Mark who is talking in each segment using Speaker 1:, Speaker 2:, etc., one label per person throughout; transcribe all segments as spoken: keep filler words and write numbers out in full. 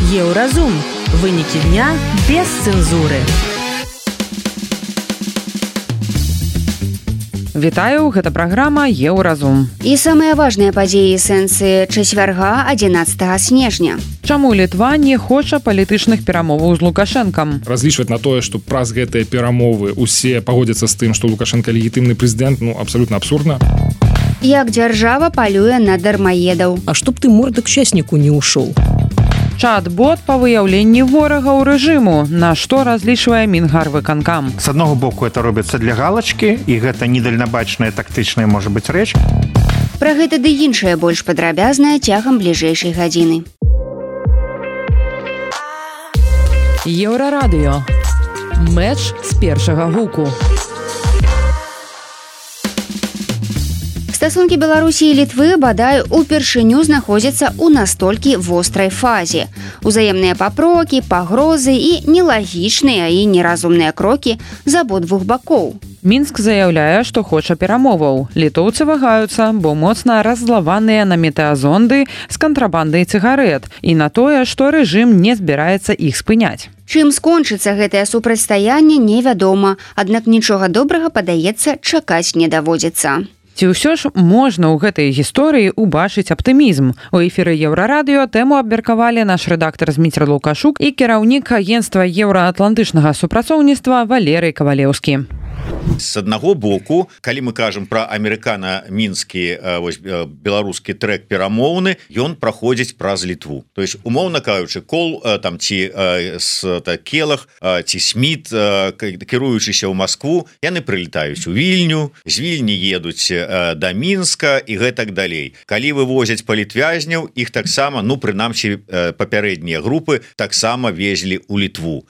Speaker 1: Еўразум. Вынікі дня без цэнзуры.
Speaker 2: Вітаю, гэта праграма Еўразум.
Speaker 3: І самыя важныя падзеі сэнсы чацвярга адзінаццатага снежня.
Speaker 2: Чаму Літва не хоча палітычных перамоваў з Лукашэнкам?
Speaker 4: Разлічваць на тое, што праз гэтыя перамовы усе пагодзяцца з тым, што Лукашэнка легітымны прэзідэнт, ну, абсалютна абсурдна.
Speaker 3: Як дзяржава палюе на дармаедаў.
Speaker 5: А чтоб ты морда к счастніку не ушоў.
Speaker 2: Чат-бот па выяўленні ворагаў рэжыму, на што разлічвае Мінгарвыканкам.
Speaker 6: С одного боку это робіцца для галачкі, і гэта недальнабачная тактычная можа быць рэч.
Speaker 3: Пра гэта ды іншае больш падрабязна цягам бліжэйшай гадзіны.
Speaker 1: Еўрарадыё. Мэч з першага гуку.
Speaker 3: Стасункі Беларусі і Літвы, бадай, упершыню знаходзяцца ў настолькі вострай фазе. Узаемныя папрокі, пагрозы і нелагічныя і неразумныя крокі з абодвух бакоў.
Speaker 2: Мінск заяўляе, што хоча перамоваў. Літоўцы вагаюцца, бо моцна раззлаваныя на метэазонды з кантрабандай цыгарэт і на тое, што рэжым не збіраецца іх спыняць.
Speaker 3: Чым скончыцца гэтае супрацьстаянне, невядома, аднак нічога добрага, падаецца, чакаць не даводзіцца.
Speaker 2: Ці ўсё ж можна ў гэтай гісторыі ўбачыць аптымізм? У эфіры Еўрарадыё тэму абмеркавалі наш рэдактар Зміцер Лукашук і кіраўнік агенцтва еўраатлантычнага супрацоўніцтва Валерый Кавалеўскі.
Speaker 7: С аднаго боку, калі мы кажам пра амерыкана-мінскі беларускі трэк перамоўны, ён праходзіць праз Літву. То есть, умоўна кажучы, Кол там ці Келах ці Сміт, кіруючыся ў Маскву, яны прылетаюць у Вільню, з Вільні едуць да Мінска і гэтак далей. Калі вывозяць палітвязняў, іх таксама, ну прынамсі папярэднія групы таксама везлі ў Літву.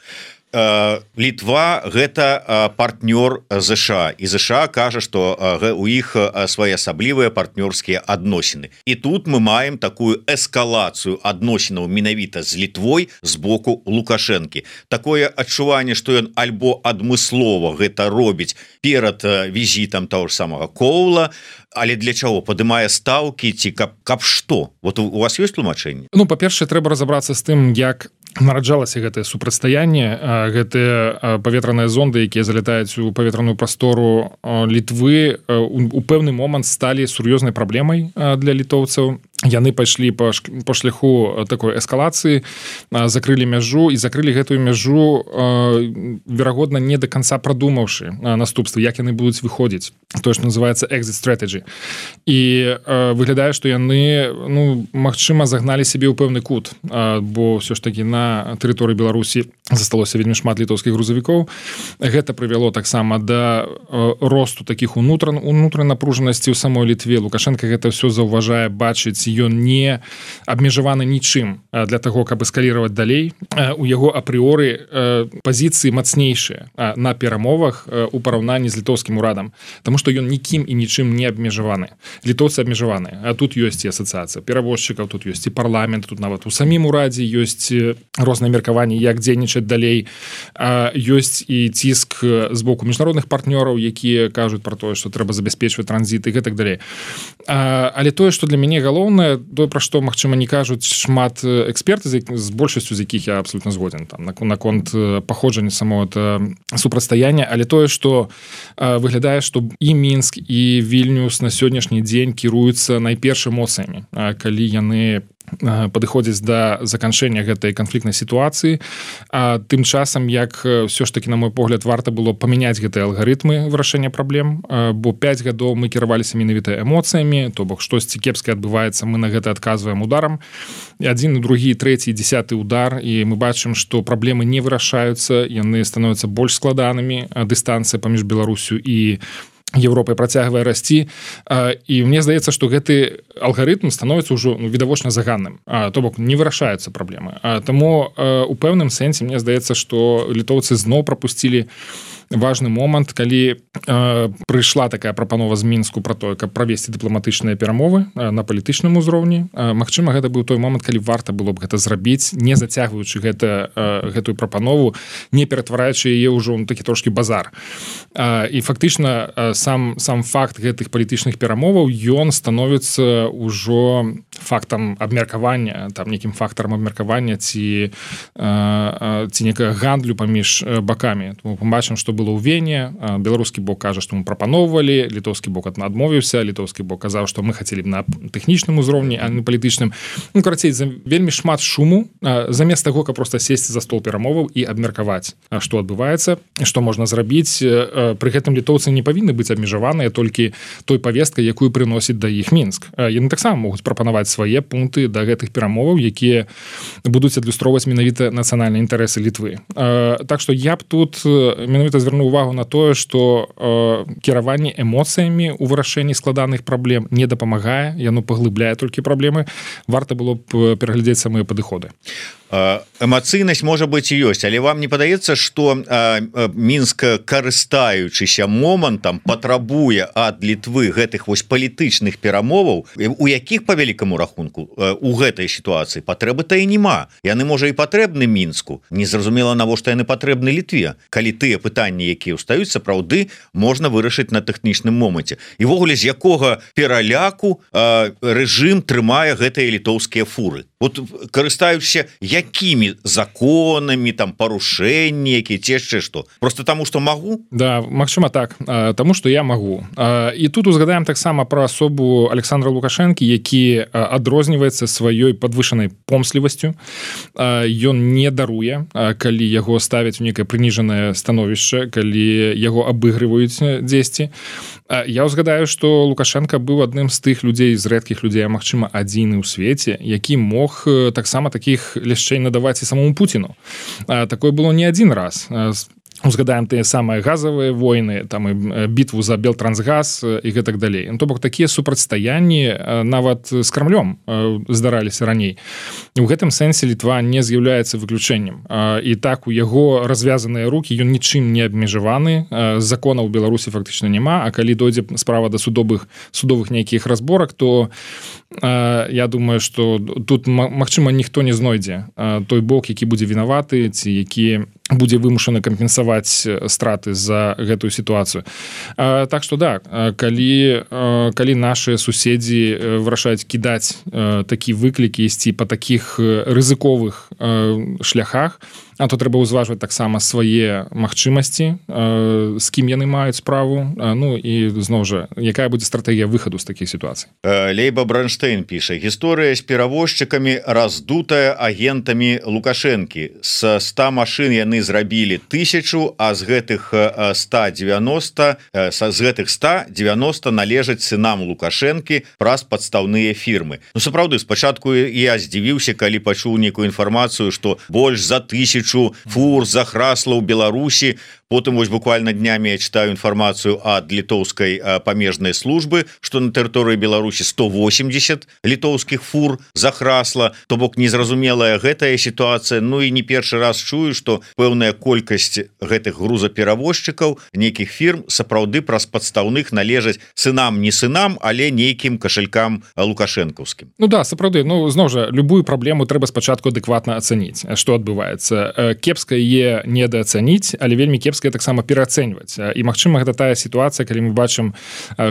Speaker 7: Літва гэта партнёр ЗША, і ЗША кажа, што у іх своеасаблівыя партнёрскія адносіны. І тут мы маем такую эскалацыю адносінаў менавіта з Літвой з боку Лукашэнкі. Такое адчуванне, што ён альбо адмыслова гэта робіць перад візітам таго ж самага Коула, але для чаго? Падымае стаўкі ці каб, каб што? Вот у, у вас ёсць тлумачэнне?
Speaker 4: Ну, па-першае, трэба разабрацца з тым, як нараджалася гэтае супрацьстаянне, гэтыя паветраныя зонды, якія залятаюць у паветраную прастору Літвы, у пэўны момант сталі сур'ёзнай праблемай для літоўцаў. Яны пайшлі па, па шляху такой эскалацыі, закрылі мяжу і закрылі гэтую мяжу, верагодна, не да канца прадумаўшы наступствы, як яны будуць выходзіць. Тое, што называецца exit strategy. І выглядае, што яны, ну, магчыма, загналі сябе ў пэўны кут, бо ўсё ж такі на тэрыторыі Беларусі засталося вельмі шмат літоўскіх грузавікоў. Гэта прывяло таксама да росту такіх унутран, унутранай напружанасці ў самой Літве. Лукашенко гэта ўсё заўважае, бачыць, ён не абмежаваны нічым для таго, каб эскаліраваць далей. У яго апрыоры пазіцыі мацнейшыя на перамовах у параўнанні з літоўскім урадам, таму што ён нікім і нічым не абмежаваны. Літоўцы абмежаваны, а тут ёсць і асацыяцыя перавозчыкаў, тут ёсць і парламент, тут нават у самім урадзе ёсць розныя меркаванні, як дзейнічаць далей. Ёсць і ціск з боку міжнародных партнёраў, якія кажуць пра тое, што трэба забяспечваць транзіт і гэтак далей. Але тое, што для мяне галоўнае, тое, пра што, магчыма, не кажуць шмат эксперты, з большасцю з якіх я абсолютно згоден там, наконт паходжання самого супрацьстаяння, але тое, што выглядае, што і Мінск, і Вільнюс на сённяшні дзень кіруюцца найперш эмоцыямі, калі яны падыходзіць да заканчэння гэтай канфліктнай сітуацыі. А тым часам, як ўсё ж такі, на мой погляд, варта было памяняць гэтыя алгарытмы вырашэння праблем, бо пяць гадоў мы кіраваліся менавіта эмоцыямі, то бок штосьці кепскае адбываецца, мы на гэта адказваем ударам. І адзін, другі, трэці, дзясяты удар, і мы бачым, што праблемы не вырашаюцца, яны становяцца больш складанымі, дыстанцыя паміж Беларусю і Европай працягвае расці, і мне здаецца, што гэты алгарытм становіцца ўжо, ну, відавочна заганным, то бок не вырашаюцца праблемы. Таму у пэўным сэнсе мне здаецца, што літоўцы зноў прапусцілі важны момант, калі э, прыйшла такая прапанова з Мінску пра тое, каб правесці дыпламатычныя перамовы э, на палітычным узроўні. Э, магчыма, гэта быў той момант, калі варта было б гэта зрабіць, не зацягваючы гэта, э, гэтую прапанову, не ператвараючы яе ўжо ў такі трошкі базар. Э, і фактычна э, сам, сам факт гэтых палітычных перамоваў, ён становіцца ўжо фактам абмеркавання, там нейкім фактарам абмеркавання ці, ці некага гандлю паміж бакамі. Мы бачым, што было ў Вене, беларускі бок кажа, што мы прапаноўвалі, літоўскі бок адмовіўся, літоўскі бок казаў, што мы хацелі б на тэхнічным узроўні, а не палітычным. Ну, карацей, вельмі шмат шуму, замест таго, каб проста сесці за стол перамоваў і абмеркаваць, што адбываецца, што можна зрабіць. Пры гэтым літоўцы не павінны быць абмежаваныя толькі той павесткай, якую прыносіць да іх Мінск. Яны таксама могуць прапанаваць свае пункты да гэтых перамоваў, якія будуць адлюстроўваць менавіта нацыянальныя інтарэсы Літвы. Так што я б тут менавіта звярнуў увагу на тое, што кіраванне эмоцыямі ў вырашэнні складаных праблем не дапамагае, яно паглыбляе толькі праблемы. Варта было б пераглядзець самыя падыходы.
Speaker 7: Эмацыйнасць можа быць і ёсць, але вам не падаецца, што Мінск, карыстаючыся момантам, патрабуе ад Літвы гэтых вось палітычных перамоваў, у якіх па вялікаму рахунку у гэтай сітуацыі патрэбы-то і няма. Яны, можа, і патрэбны Мінску. Незразумела, навошта яны патрэбны Літве, калі тыя пытанні, якія ўстаюць, сапраўды можна вырашыць на тэхнічным моманце. І ввогуле, з якога пераляку рэжым трымае гэтыя літоўскія фуры. Вот карыстаючыся якімі законамі, там парушэнні, якія ці яшчэ што? Просто таму, што магу?
Speaker 4: Да, магчыма так, таму, што я магу. І тут узгадаем таксама пра асобу Александра Лукашэнкі, які адрозніваецца сваёй падвышанай помслівасцю. Ён не даруе, калі яго ставяць у некае прыніжанае становішча, калі яго абыгрываюць дзесьці. Я ўзгадаю, што Лукашенко быў адным з тых людзей, з рэдкіх людзей, а магчыма, адзіны ў свеце, які мог таксама такіх ляшчэй надаваць і самому Пуціну. Такое было не адзін раз. Узгадаем тыя самыя газавыя войны, там і бітву за Белтрансгаз і гэтак далей. Ну, то бок такія супрацьстаянні нават з Крамлём здараліся раней. У гэтым сэнсе Літва не з'яўляецца выключэннем. І так у яго развязаныя рукі, ён нічым не абмежаваны, законаў у Беларусі фактычна няма, а калі дойдзе справа да судовых судовых нейкіх разборак, то я думаю, што тут магчыма ніхто не знойдзе той бок, які будзе вінаваты ці які будзе вымушаны кампенсаваць страты за гэтую сітуацыю. Так што да, калі, калі нашыя суседзі вырашаюць кідаць такі выклікі, ісці па такіх рызыковых шляхах, а то трэба ўзважваць таксама свае магчымасці, з кім яны маюць справу, ну і зноў жа, якая будзе стратэгія выхаду з такіх сітуацый.
Speaker 7: Лейба Бранштейн піша: гісторыя з перавозчыкамі раздутая агентамі Лукашэнкі. З ста машын яны зрабілі тысячу, а з гэтых ста дзевяноста з гэтых ста дзевяноста належаць сынам Лукашэнкі праз падстаўныя фірмы. Ну сапраўды, спачатку я здзівіўся, калі пачуў нейкую інфармацыю, што больш за тысячу фур захрасла ў Беларусі. Потым вось буквально днямі я читаю інфармацыю ад літоўскай памежнай службы, што на тэрыторыі Беларусі сто восемьдесят літоўскіх фур захрасла. То бок незразумелая гэтая сітуацыя. Ну і не першы раз чую, што пэўная колькасць гэтых грузаперавозчыкаў нейкіх фірм сапраўды праз падстаўных належаць сынам, не сынам, але нейкім кашалькам лукашэнкаўскім.
Speaker 4: Ну да, сапраўды, ну зноў жа, любую праблему трэба спачатку адэкватна ацаніць, што адбываецца. Кепска яе недаацаніць, але вельмі кепска таксама пераацэньваць. І магчыма, гэта тая сітуацыя, калі мы бачым,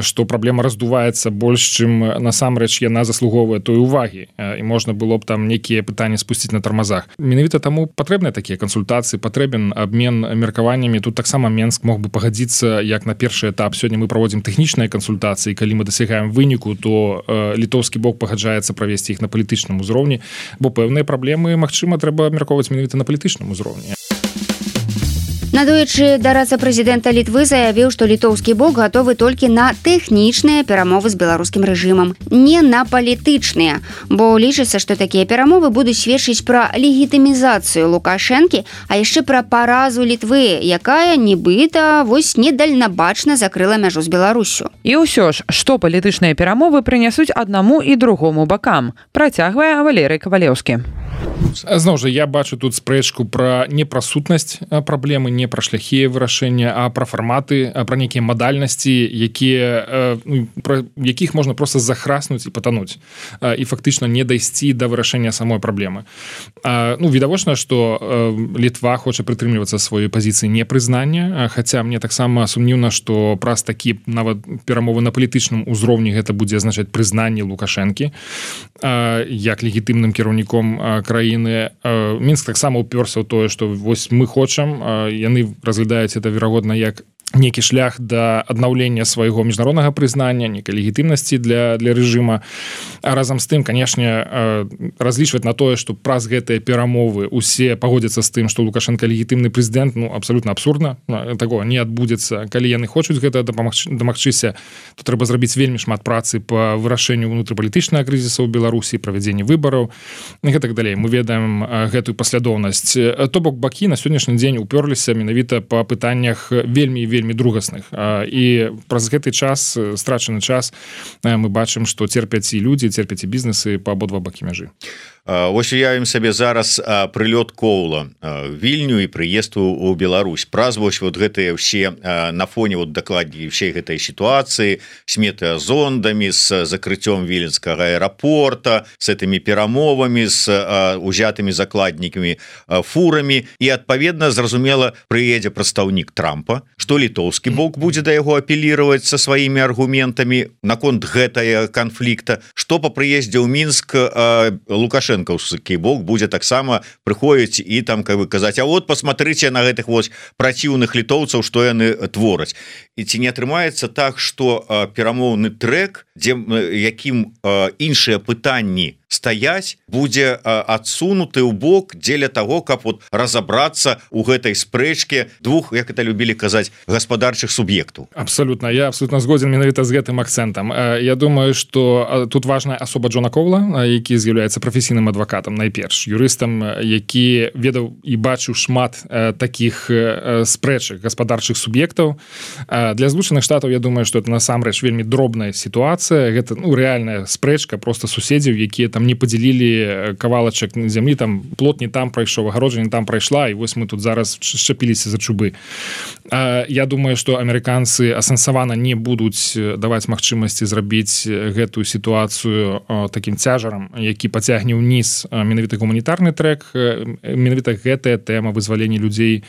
Speaker 4: што праблема раздуваецца больш, чым насамрэч яна заслугоўвае той увагі, і можна было б там нейкія пытанні спусціць на тармазах. Менавіта таму патрэбныя такія кансультацыі, патрэбен абмен меркаваннямі. Тут таксама Менск мог бы пагадзіцца, як на першы этап. Сёння мы праводзім тэхнічныя кансультацыі, калі мы дасягаем выніку, то літоўскі бок пагаджаецца правесці іх на палітычным узроўні, бо пэўныя праблемы, магчыма, трэба абмяркоўваць менавіта на палітычным узроўні.
Speaker 3: Надоечы дараца прэзідэнта Літвы заявіў, што літоўскі бок гатовы толькі на тэхнічныя перамовы з беларускім рэжымам, не на палітычныя, бо лічыцца, што такія перамовы будуць сведчыць пра легітымізацыю Лукашэнкі, а яшчэ пра паразу Літвы, якая нібыта вось недальнабачна закрыла мяжу з Беларусю.
Speaker 2: І ўсё ж, што палітычныя перамовы прынясуць аднаму і другому бакам, працягвае Валерый Кавалеўскі.
Speaker 7: цягнуцца.
Speaker 4: Зноў жа я бачу тут спрэчку пра не пра сутнасць праблемы, не пра шляхі вырашэння, а пра фарматы, пра нейкія мадальнасці, якія ну, пра якіх можна проста захраснуць і патануць і фактычна не дайсці да вырашэння самой праблемы. Ну відавочна, што Літва хоча прытрымлівацца сваёй пазіцыі непрызнання, хаця мне таксама сумнеўна, што праз такі нават перамовы на палітычным узроўні гэта будзе азначаць прызнанне Лукашэнкі як легітымным кіраўніком краіны. Мінск таксама ўпёрся ў тое, што вось мы хочам, яны разглядаюць это верагодна як нейкі шлях да аднаўлення свайго міжнароднага прызнання, нейкай легітымнасці для, для рэжыма. А разам з тым, канешне, разлічваць на тое, што праз гэтыя перамовы усе пагодзяцца з тым, што Лукашенко легітымны прэзідэнт, ну, абсалютна абсурдна. Такого не адбудзецца. Калі яны хочуць гэта дамагчыся, то трэба зрабіць вельмі шмат працы па вырашэнню ўнутрыпалітычнага крызіса ў Беларусі, правядзенні выбараў і гэтак далей. Мы ведаем гэтую паслядоўнасць. То бок бакі на сённяшні дзень упёрліся менавіта па пытаннях вельмі вельмі вельмі другасных. І праз гэты час, страчаны час, мы бачым, што церпяць і людзі, церпяць і бізнесы па абодва бакі мяжы.
Speaker 7: Вось уявім сабе зараз прылёт Коўла Вільню і прыезд у Беларусь. Праз вось вот гэтыя ўсе на фоне вот дакладней ўсей гэтай сітуацыі з метэазондамі, з закрыццём віленскага аэрапорта, з гэтымі перамовамі, з узятымі закладнікамі фурамі і адпаведна зразумела прыедзе прадстаўнік Трампа, што літоўскі бок будзе да яго апеліраваць са сваімі аргументамі наконт гэтага канфлікта, што па прыездзе ў Мінск лукашэнкаўскі бок будзе таксама прыходзіць і там как бы казаць, а вот посмотрите на гэтых вось праціўных літоўцаў, што яны твораць. І ці не атрымаецца так, што перамоўны трэк, дзе якім іншыя пытанні стаяць, будзе адсунуты ў бок дзеля таго, каб вот разабрацца ў гэтай спрэчке двух, як это любілі казаць, гаспадарчых суб'ектаў.
Speaker 4: Абсолютно, я абсолютно згоден менавіта з гэтым акцэнтам. Я думаю, што тут важная асоба Джона Коўла, які з'яўляецца прафесійным адвакатам, найперш юрыстам, які ведаў і бачыў шмат такіх спрэчак гаспадарчых суб'ектаў. Для Злучаных Штатаў, я думаю, што это насамрэч вельмі дробная сітуацыя. Гэта ну рэальная спрэчка проста суседзяў, якія там не падзялілі кавалачак зямлі, там плот не там прайшоў, агароджа не там прайшла, і вось мы тут зараз шчапіліся за чубы. Я думаю, што амерыканцы асэнсавана не будуць даваць магчымасці зрабіць гэтую сітуацыю такім цяжарам, які пацягне ўніз менавіта гуманітарны трэк. Менавіта гэтая тэма вызвалення людзей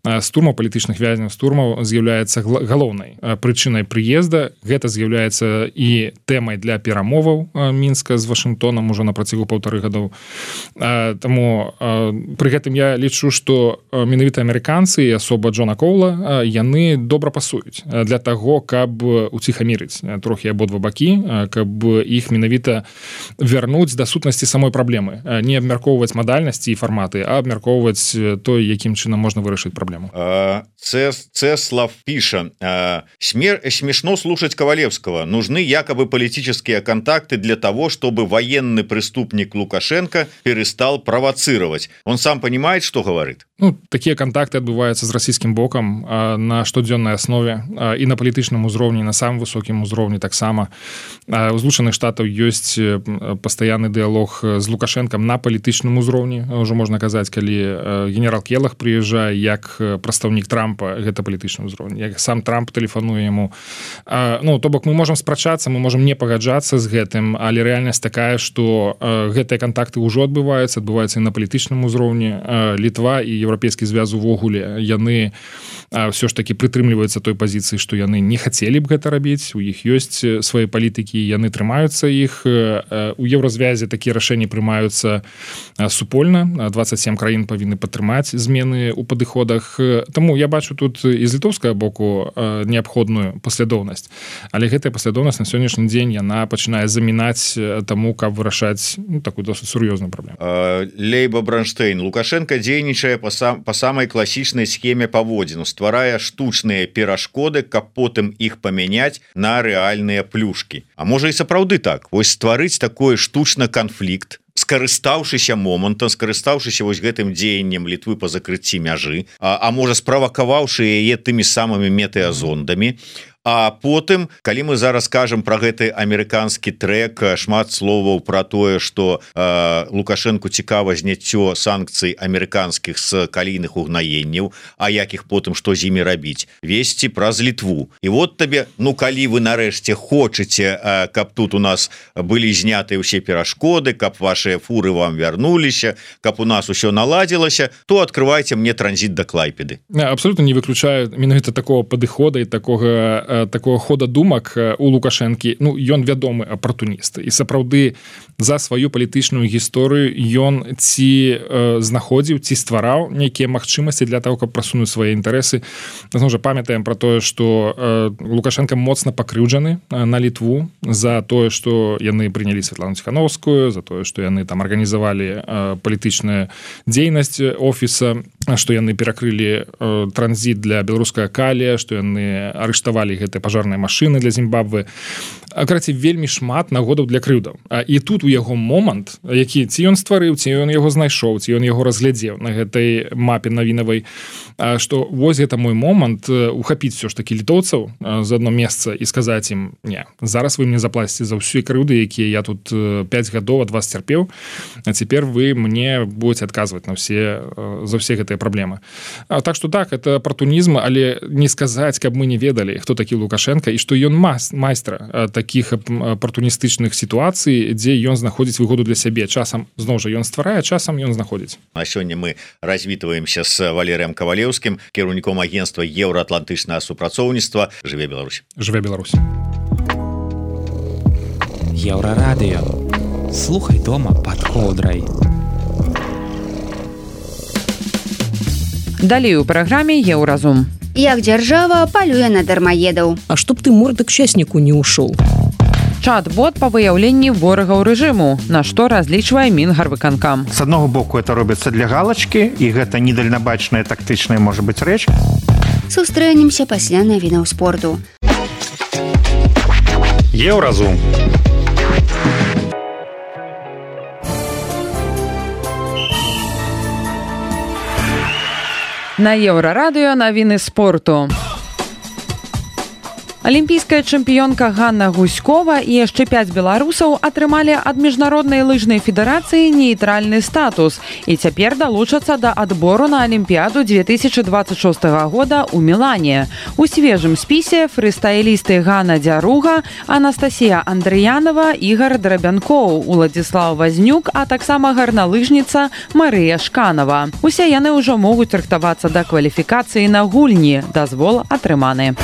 Speaker 4: з турмаў, палітычных вязняў з турмаў з'яўляецца галоўнай прычынай прыезда. Гэта з'яўляецца і тэмай для перамоваў Мінска з Вашынгтонам ужо на працягу паўтары гадоў. Таму пры гэтым я лічу, што менавіта амерыканцы і асоба Джона Коўла, яны добра пасуюць для таго, каб уціхамірыць трохі абодва бакі, каб іх менавіта вярнуць да сутнасці самой праблемы. Не абмяркоўваць мадальнасці і фарматы, а абмяркоўваць той, якім чынам можна вырашыць праблему.
Speaker 7: Цеслав піша: смешно слушать Ковалевского. Нужны якобы политические контакты для того, чтобы военный преступник Лукашенко перестал провоцировать. Он сам понимает, что говорит?
Speaker 4: Ну, такія контакты адбываюцца з расійскім бокам на штодзённай аснове і на палітычным узроўні, на самым высокім узроўні таксама. У Злучаных Штатаў ёсць пастаянны дыялог з Лукашэнкам на палітычным узроўні. Ужо можна казаць, калі генерал Келах прыязджае як прадстаўнік Трампа, гэта палітычны ўзроўні. Як сам Трамп тэлефануе яму. Ну, то бок мы можам спрачацца, мы можам не пагаджацца з гэтым, але рэальнасць такая, што гэтыя контакты ўжо адбываюцца, адбываюцца і на палітычным узроўні. Літва і Еўрапейскі звяз увогуле, яны ўсё ж такі прытрымліваюцца той пазіцыі, што яны не хацелі б гэта рабіць, у іх ёсць свае палітыкі, яны трымаюцца іх. У Еўразвязе такія рашэнні прымаюцца супольна, дваццаць сем краін павінны падтрымаць змены ў падыходах. Таму я бачу тут і з літоўскага боку неабходную паслядоўнасць, але гэтая паслядоўнасць на сённяшні дзень яна пачынае замінаць таму, каб вырашаць ну, такую досыць сур'ёзную праблему.
Speaker 7: Лейба Бранштейн: Лукашенко дзейнічае па сам, па самай класічнай схеме паводзіну, стварае штучныя перашкоды, каб потым іх памяняць на рэальныя плюшкі. А можа і сапраўды так, вось стварыць такой штучны канфлікт, скарыстаўшыся момантам, скарыстаўшыся вось гэтым дзеяннем Літвы па закрыцці мяжы, а, а можа справакаваўшы яе тымі самымі метэазондамі, А потым калі мы зараз кажам про гэты амерыканскі трек, шмат словаў про тое что э, Лукашенко цікава зняццё санкцый амерыканскіх з калійных угнаенняў, а якіх потым што з імі рабіць, весці праз Літву. І вот табе, ну калі вы нарэшце хочаце, э, каб тут у нас былі знятыя ўсе перашкоды, каб ваши фуры вам вярнуліся, каб у нас усё наладзілася, то открывайте мне транзит до Клайпеды.
Speaker 4: Абсолютно не выключаю менавіта такого падыхода і такога такого хода думак у Лукашэнкі. Ну ён вядомы апартуніст і сапраўды за сваю палітычную гісторыю ён ці э, знаходзіў, ці ствараў нейкія магчымасці для того, каб прасунуць свае інтарэсы. Зноў жа памятаем про тое, што э, Лукашенко моцна пакрыўджаны э, на Літву за тое, што яны прынялі Святлану Ціхановскую, за тое, што яны там арганізавалі э, палітычную дзейнасць офіса, што яны перакрылі э, транзіт для беларускага калія, што яны арыштавалі гэтыя пажарныя машыны для Зімбабве. Карацей, вельмі шмат нагодаў для крыўдаў. І тут у яго момант, які ці ён стварыў, ці ён яго знайшоў, ці ён яго разглядзеў на гэтай мапе навінавай, што вось гэта мой момант ухапіць все ж таки літоўцаў з адно месца і сказаць ім: не, зараз вы мне заплаціце за ўсю крыўды, якія я тут пяць гадоў ад вас цярпеў, а цяпер вы мне будете адказваць на все за ўсе гэтыя праблемы. Так што так, это апартунізм, але не сказаць, каб мы не ведалі, хто такі Лукашенко і што ён майстра таких апартуністычных сітуацый, дзе ён знаходзіць выгоду для сябе. Часам зноў жа ён стварае, часам ён знаходзіць.
Speaker 7: А сёння мы развітваемся з Валерыем Кавалеўскім, кіраўніком агенцтва еўраатлантычнага супрацоўніцтва. Жыве Беларусь.
Speaker 4: Жыве Беларусь.
Speaker 8: Еўрарадыё. Слухай дома пад коўдрай.
Speaker 2: Далей у праграме Еўразум.
Speaker 3: Як дзяржава палюе на дармаедаў.
Speaker 5: А чтоб ты морда к счастніку не ушоў.
Speaker 2: Чат-бот па выяўленні ворагаў рэжыму, на што разлічвае Мінгарвыканкам.
Speaker 6: С аднаго боку это робіцца для галачкі, і гэта недальнабачная тактычная можа быць рэч.
Speaker 3: Сустрэнемся пасля навінаў спорту.
Speaker 6: Еўразум.
Speaker 2: На Еўрарадыё навіны спорту. Алімпійская чэмпіёнка Ганна Гуськова і яшчэ пяць беларусаў атрымалі ад міжнароднай лыжнай федэрацыі нейтральны статус і цяпер далучацца да адбору на Алімпіяду две тысячи двадцать шостага года ў Мілане. У свежым спісе фрыстайлісты Ганна Дзяруга, Анастасія Андрыянова, Ігар Драбянкоў, Уладзіслаў Вазнюк, а таксама гарналыжніца Марыя Шканова. Усе яны ўжо могуць рыхтавацца да кваліфікацыі на гульні. Дазвол атрыманы.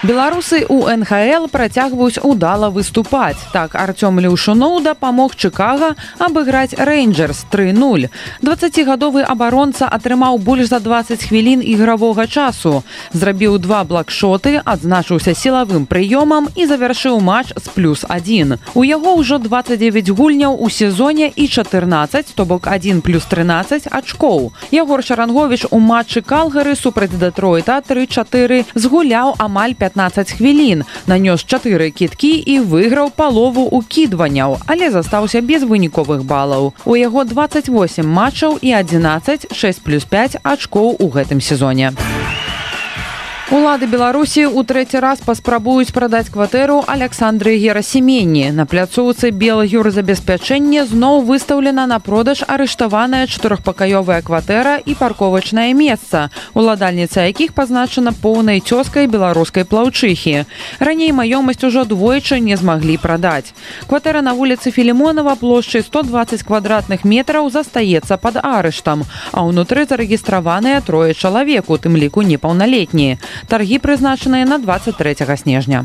Speaker 2: Беларусы ў эн ха эл працягваюць удала выступаць. Так, Артём Леўшуноў дапамог Чыкага абыграць Рэйнджэрс тры нуль. дваццацігадовы абаронца атрымаў больш за дваццаць хвілін ігравога часу. Зрабіў два блакшоты, адзначыўся сілавым прыёмам і завяршыў матч з плюс адзін. У яго ўжо дваццаць дзевяць гульняў у сезоне і чатырнаццаць, то бок адзін плюс трынаццаць ачкоў. Ягор Шаранговіч у матчы Калгары супраць Дэтройта тры чатыры згуляў амаль пятнаццаць хвілін, нанёс чатыры кідкі і выйграў палову укідванняў, але застаўся без выніковых балаў. У яго дваццаць восем матчаў і адзінаццаць, шэсць плюс пяць ачкоў у гэтым сезоне. Улады Беларусі ў трэці раз паспрабуюць прадаць кватэру Аляксандры Герасіменні. На пляцоўцы Белаюрзабеспячэнне зноў выстаўлена на продаж арыштаваная чатырохпакаёвая кватэра і парковачнае месца, уладальніца якіх пазначана поўнай цёзкай беларускай плаўчыхі. Раней маёмасць ужо двойчы не змаглі прадаць. Кватэра на вуліцы Філімонава плошчай сто дваццаць квадратных метраў застаецца пад арыштам, а ўнутры зарэгістраваныя трое чалавек, у тым ліку непаўналетнія. Таргі прызначаныя на двадцать трэцяга снежня.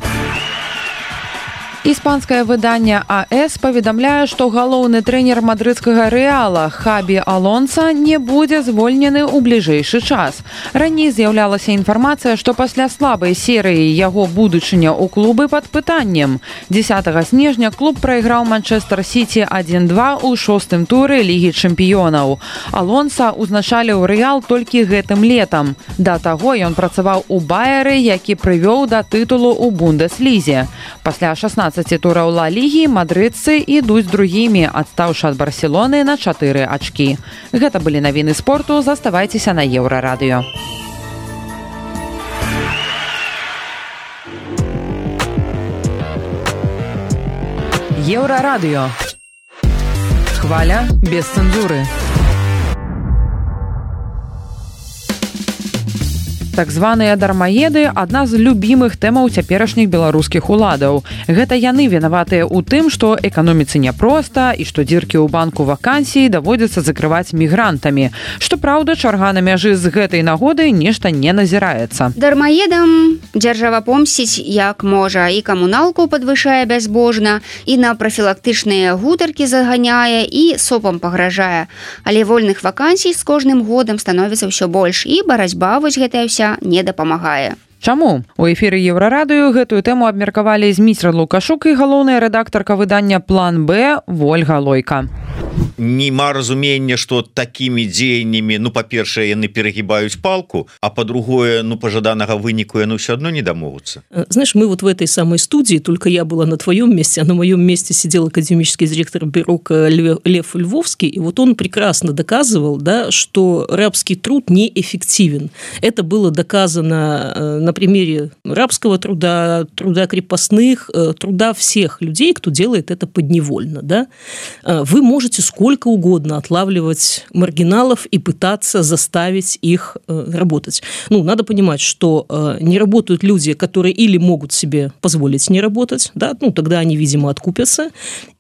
Speaker 2: Іспанскае выданне а эс паведамляе, што галоўны трэнер мадрыдскага Рэала Хабі Алонса не будзе звольнены ў бліжэйшы час. Раней з'яўлялася інфармацыя, што пасля слабай серыі яго будучыня ў клубы пад пытаннем. дзесятага снежня клуб прайграў Манчэстэр Сіці адзін два ў шостым туры Лігі чэмпіёнаў. Алонса ўзначаліў Рэал толькі гэтым летам. Да таго ён працаваў у Баяры, які прывёў да тытулу ў Бундеслізе. Пасля шаснаццаці тураў Ла Лігі мадрыдцы ідуць другімі, адстаўшы ад Барселоны на чатыры ачкі. Гэта былі навіны спорту, заставайцеся на Еўрарадыё. Еўрарадыё. Хваля без цэнзуры. Так званыя дармаеды – адна з любімых тэмаў цяперашніх беларускіх уладаў. Гэта яны вінаватыя ў тым, што эканоміцы няпроста і што дзіркі ў банку вакансій даводзіцца закрываць мігрантамі. Што праўда, чарга на мяжы з гэтай нагоды нешта не назіраецца.
Speaker 3: Дармаедам дзяржава помсціць як можа, і камуналку падвышае бязбожна, і на прафілактычныя гутаркі заганяе, і сопам пагражае. Але вольных вакансій з кожным годам становіцца ўсё больш, і барацьба вось гэтая ўся не дапамагае.
Speaker 2: Чаму? У эфіры Еўрарадыё гэтую тэму абмеркавалі Зміцер Лукашук і галоўная рэдактарка выдання «План Б» Вольга Лойка.
Speaker 7: Нема разумення, што такімі дзеяннямі, ну, па-першае, яны перагибаюць палку, а па-другое, ну, пожаданага выніку яны ўсё адно не дамогуцца.
Speaker 5: Знаешь, мы вот в этой самой студии, только я была на твоем месте, а на моем месте сидел академический директор бюро Лев Львовский, и вот он прекрасно доказывал, да, что рабский труд неэффективен. Это было доказано на примере рабского труда, труда крепостных, труда всех людей, кто делает это подневольно. Да? Вы можете сколько угодно отлавливать маргиналов и пытаться заставить их работать. Ну, надо понимать, что не работают люди, которые или могут себе позволить не работать, да, ну, тогда они, видимо, откупятся,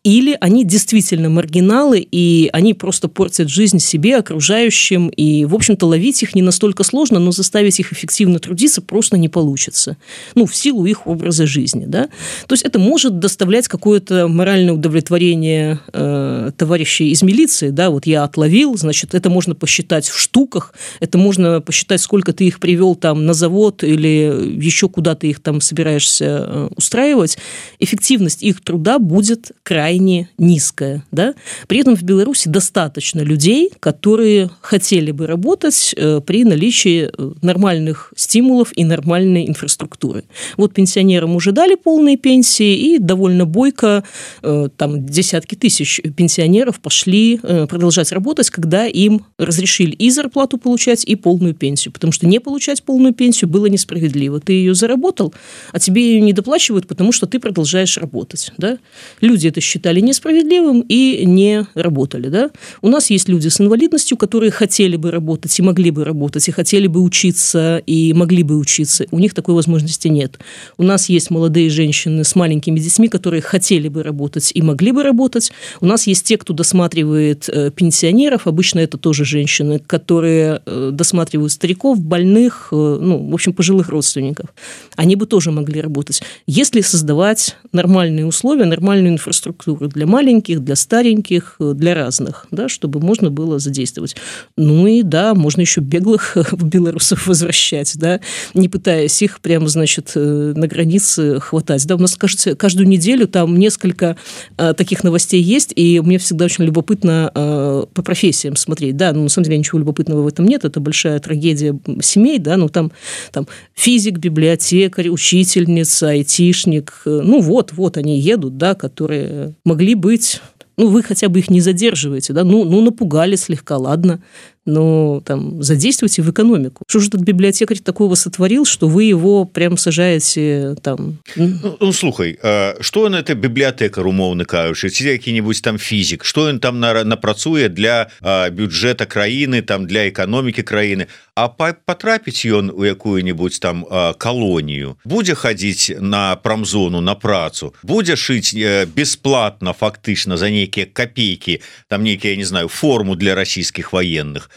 Speaker 5: или они действительно маргиналы, и они просто портят жизнь себе, окружающим, и, в общем-то, ловить их не настолько сложно, но заставить их эффективно трудиться просто не получится. Ну, в силу их образа жизни, да. То есть это может доставлять какое-то моральное удовлетворение э, товарищей из милиции, да, вот я отловил, значит, это можно посчитать в штуках, это можно посчитать, сколько ты их привел там на завод или еще куда ты их там собираешься э, устраивать. Эффективность их труда будет крайне низкая, да? При этом в Беларуси достаточно людей, которые хотели бы работать э, при наличии нормальных стимулов и нормальной инфраструктуры. Вот пенсионерам уже дали полные пенсии, и довольно бойко э, там десятки тысяч пенсионеров пошли э, продолжать работать, когда им разрешили и зарплату получать, и полную пенсию, потому что не получать полную пенсию было несправедливо. Ты ее заработал, а тебе ее не доплачивают, потому что ты продолжаешь работать, да? Люди это считают считали несправедливым и не работали. Да? У нас есть люди с инвалидностью, которые хотели бы работать и могли бы работать, и хотели бы учиться, и могли бы учиться. У них такой возможности нет. У нас есть молодые женщины с маленькими детьми, которые хотели бы работать и могли бы работать. У нас есть те, кто досматривает пенсионеров, обычно это тоже женщины, которые досматривают стариков, больных, ну, в общем, пожилых родственников. Они бы тоже могли работать. Если создавать нормальные условия, нормальную инфраструктуру для маленьких, для стареньких, для разных, да, чтобы можно было задействовать. Ну и да, можно еще беглых белорусов возвращать, да, не пытаясь их прямо, значит, на границе хватать. Да, у нас, кажется, каждую неделю там несколько а, таких новостей есть, и мне всегда очень любопытно а, по профессиям смотреть. Да, ну, на самом деле ничего любопытного в этом нет, это большая трагедия семей, да, ну там, там физик, библиотекарь, учительница, айтишник, ну вот, вот они едут, да, которые могли быть, ну, вы хотя бы их не задерживаете, да, ну, ну напугали слегка, ладно, но там задействуйте в экономику. Что же этот библиотекарь такого сотворил, что вы его прям сажаете там?
Speaker 7: Ну, ну слухай, что он это библиотекар, умоўна кажучы, ці які-нибудь там физик, что он там напрацуе для бюджета краіны, там для экономики краіны, а потрапіць ён у якую-нибудь там колонию, будзе ходить на промзону на працу, будзе шить бесплатно фактычна за нейкія копейки, там нейкія, я не знаю, форму для российских военных,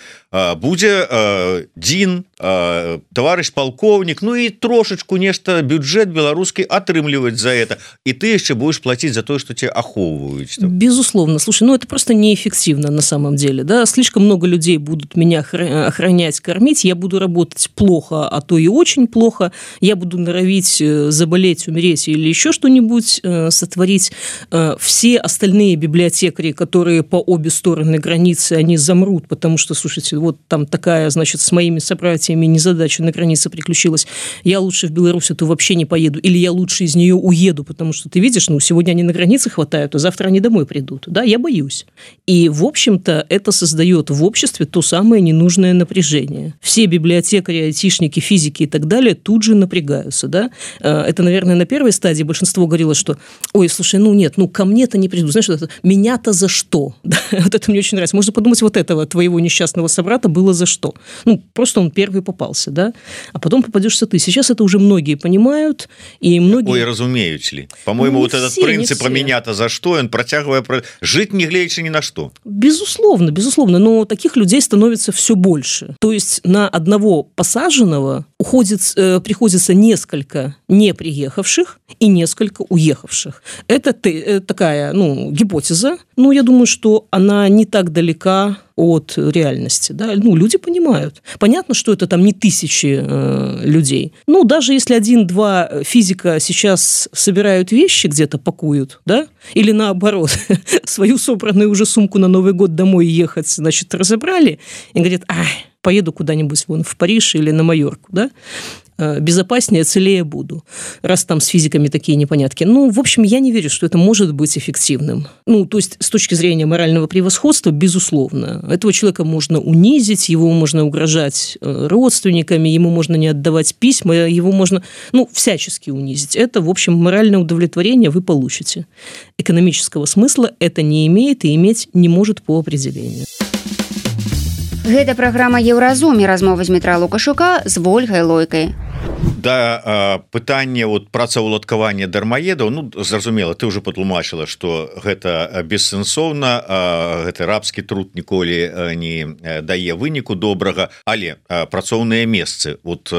Speaker 7: будзе э, дзін, э, товарищ полковник, ну и трошечку нешта бюджет беларускі атрымліваць за это, и ты яшчэ будешь платить за то, что тебя ахоўваюць.
Speaker 5: Безусловно. Слушай, ну это просто неэффективно на самом деле, да, слишком много людей будут меня охранять, кормить, я буду работать плохо, а то и очень плохо, я буду норовить заболеть, умереть или еще что-нибудь э, сотворить. Э, все остальные библиотекари, которые по обе стороны границы, они замрут, потому что, слушайте, вот там такая, значит, с моими собратьями незадача на границе приключилась, я лучше в Беларусь то вообще не поеду, или я лучше из нее уеду, потому что ты видишь, ну, сегодня они на границе хватают, а завтра они домой придут, да, я боюсь. И, в общем-то, это создает в обществе то самое ненужное напряжение. Все библиотекари, айтишники, физики и так далее тут же напрягаются, да. Это, наверное, на первой стадии большинство говорило, что, ой, слушай, ну нет, ну ко мне-то не придут, знаешь, это, меня-то за что? Да? Вот это мне очень нравится. Можно подумать, вот этого твоего несчастного собрата было за что? Ну, просто он первый попался, да, а потом попадешься ты. Сейчас это уже многие понимают, и многие...
Speaker 7: Ой, разумеют ли? По-моему,
Speaker 5: ну,
Speaker 7: вот этот
Speaker 5: все,
Speaker 7: принцип про меня-то за что, он протягивая... Про... Жить не глядячи ни на что.
Speaker 5: Безусловно, безусловно, но таких людей становится все больше. То есть на одного посаженного уходит, э, приходится несколько не приехавших и несколько уехавших. Это ты, э, такая, ну, гипотеза. Ну, я думаю, что она не так далека от реальности, да, ну, люди понимают. Понятно, что это там не тысячи э, людей. Ну, даже если один-два физика сейчас собирают вещи, где-то пакуют, да, или наоборот, свою собранную уже сумку на Новый год домой ехать, значит, разобрали, и говорят, ай, поеду куда-нибудь вон в Париж или на Майорку, да, безопаснее, целее буду, раз там с физиками такие непонятки. Ну, в общем, я не верю, что это может быть эффективным. Ну, то есть, с точки зрения морального превосходства, безусловно. Этого человека можно унизить, его можно угрожать родственниками, ему можно не отдавать письма, его можно, ну, всячески унизить. Это, в общем, моральное удовлетворение вы получите. Экономического смысла это не имеет и иметь не может по определению.
Speaker 3: Гэта праграма Еўразум, размова з Дмітра Лукашука з Вольгай Лойкай.
Speaker 7: Да, пытанне вот працаўладкавання дармаедаў, ну, зразумела, ты уже патлумачыла, что гэта бессэнсоўна, гэты рабскі труд ніколі не дае выніку добрага, але працоўныя месцы, вот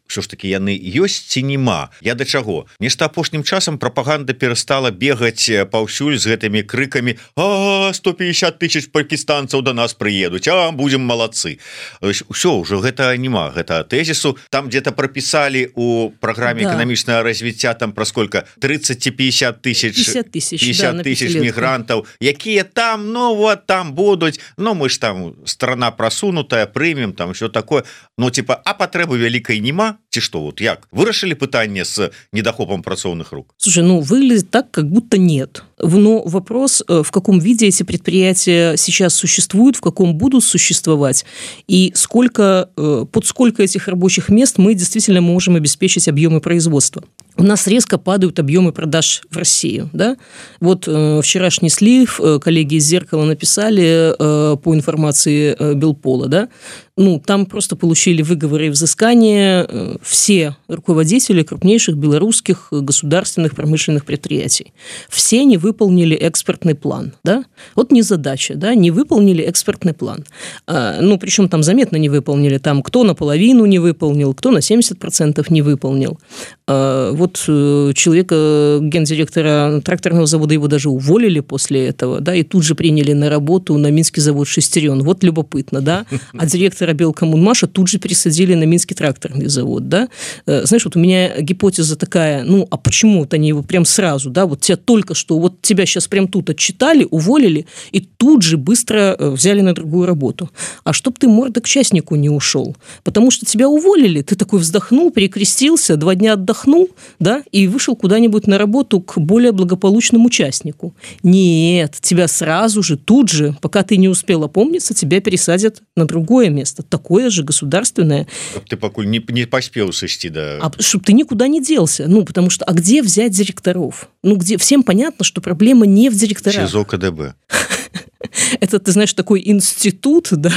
Speaker 7: що ж таки яны ёсць ці нема, я да чаго? Нешта апошнім часам прапаганда перастала бегаць паўсюль з гэтымі крыкамі: а сто пятьдесят тысяч пакістанцаў до нас прыедуць, а будем малацы. Усё, ўжо гэта нема, гэта тэзісу, там где-то прописали у программе да. экономичного развития там про сколько тридцать-пятьдесят тысяч
Speaker 5: пятьдесят тысяч,
Speaker 7: пятьдесят
Speaker 5: да,
Speaker 7: тысяч мигрантов, якія там, ну вот там будут, ну мы ж там страна просунутая, примем там все такое, ну типа, а потребы великой нема, ці что, вот як вырашили пытание с недохопом працоўных рук?
Speaker 5: Слушай, ну выглядит так, как будто нет. Но вопрос, в каком виде эти предприятия сейчас существуют, в каком будут существовать, и сколько, под сколько этих рабочих мест мы действительно можем обеспечить объемы производства. У нас резко падают объемы продаж в Россию. Да? Вот э, вчерашний слив, э, коллеги из «Зеркала» написали э, по информации э, Белпола, да? Ну, там просто получили выговоры и взыскания э, все руководители крупнейших белорусских государственных промышленных предприятий. Все не выполнили экспортный план. Да? Вот незадача, да? Не выполнили экспортный план. А, ну, причем там заметно не выполнили. Там кто наполовину не выполнил, кто на семьдесят процентов не выполнил. А, вот человека, гендиректора тракторного завода, его даже уволили после этого, да, и тут же приняли на работу на Минский завод «Шестерен». Вот любопытно, да. А директора Белкоммунмаша тут же пересадили на Минский тракторный завод, да. Знаешь, вот у меня гипотеза такая, ну, а почему вот они его прям сразу, да, вот тебя только что, вот тебя сейчас прям тут отчитали, уволили, и тут же быстро взяли на другую работу. А чтоб ты мордой к частнику не ушел, потому что тебя уволили, ты такой вздохнул, перекрестился, два дня отдохнул, да, и вышел куда-нибудь на работу к более благополучному участнику. Нет, тебя сразу же, тут же, пока ты не успел опомниться, тебя пересадят на другое место, такое же государственное.
Speaker 7: Ты пока не, не поспел сойти, да.
Speaker 5: А чтобы ты никуда не делся. Ну, потому что, а где взять директоров? Ну, где? Всем понятно, что проблема не в директорах.
Speaker 7: ЧИЗО КДБ.
Speaker 5: Это, ты знаешь, такой институт, да?